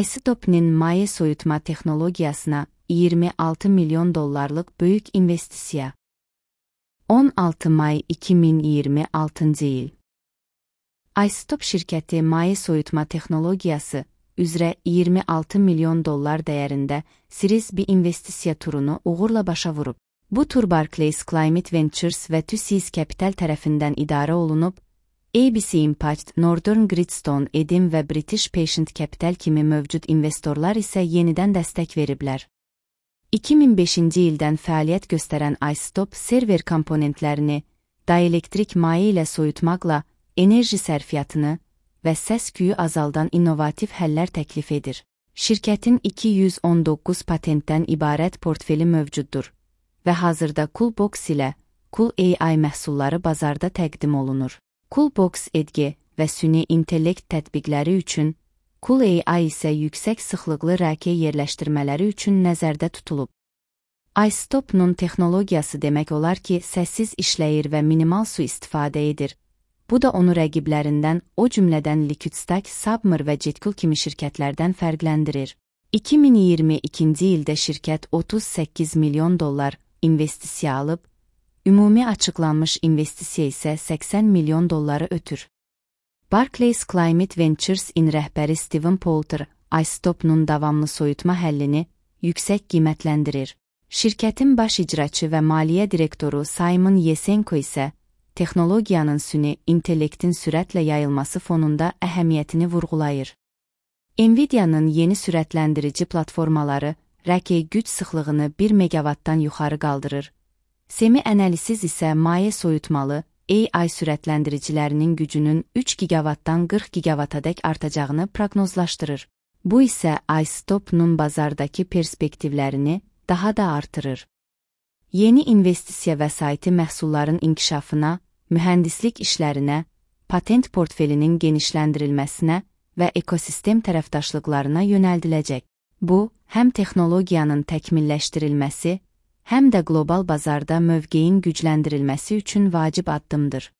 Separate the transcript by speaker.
Speaker 1: iStop'nin maye soyutma texnologiyasına $26 milyon böyük investisiya. 16 may 2026 il. iStop şirkəti maye soyutma texnologiyası üzrə $26 milyon dəyərində Series B investisiya turunu uğurla başa vurub. Bu tur Barclays Climate Ventures və TUSIS Capital tərəfindən idarə olunub, ABC Impact, Northern Gridstone, Edim və British Patient Capital kimi mövcud investorlar isə yenidən dəstək veriblər. 2005-ci ildən fəaliyyət göstərən iStop server komponentlərini dielektrik maye ilə soyutmaqla enerji sərfiyyatını və səs-küyü azaldan innovativ həllər təklif edir. Şirkətin 219 patentdən ibarət portfeli mövcuddur və hazırda Coolbox ilə Cool AI məhsulları bazarda təqdim olunur. Coolbox EDG və süni intellekt tətbiqləri üçün, Cool AI isə yüksək sıxlıqlı RK yerləşdirmələri üçün nəzərdə tutulub. iStop'nun texnologiyası demək olar ki, səssiz işləyir və minimal su istifadə edir. Bu da onu rəqiblərindən, o cümlədən Liquidstack, Submer və Jetcool kimi şirkətlərdən fərqləndirir. 2022-ci ildə şirkət $38 milyon investisiya alıb, ümumi açıqlanmış investisiya isə $80 milyon ötür. Barclays Climate Ventures'in rəhbəri Steven Poulter, iStop'nun davamlı soyutma həllini yüksək qiymətləndirir. Şirkətin baş icraçı və maliyyə direktoru Simon Yesenko isə texnologiyanın süni intellektin sürətlə yayılması fonunda əhəmiyyətini vurğulayır. Nvidia'nın yeni sürətləndirici platformaları RK güc sıxlığını 1 megawattdan yuxarı qaldırır. Semi-analiz isə maye soyutmalı AI sürətləndiricilərinin gücünün 3 gigawattdan 40 gigawattadək artacağını proqnozlaşdırır. Bu isə iStop'nun bazardakı perspektivlərini daha da artırır. Yeni investisiya vəsaiti məhsulların inkişafına, mühəndislik işlərinə, patent portfelinin genişləndirilməsinə və ekosistem tərəfdaşlıqlarına yönəldiləcək. Bu, həm texnologiyanın təkmilləşdirilməsi, həm də qlobal bazarda mövqeyin gücləndirilməsi üçün vacib addımdır.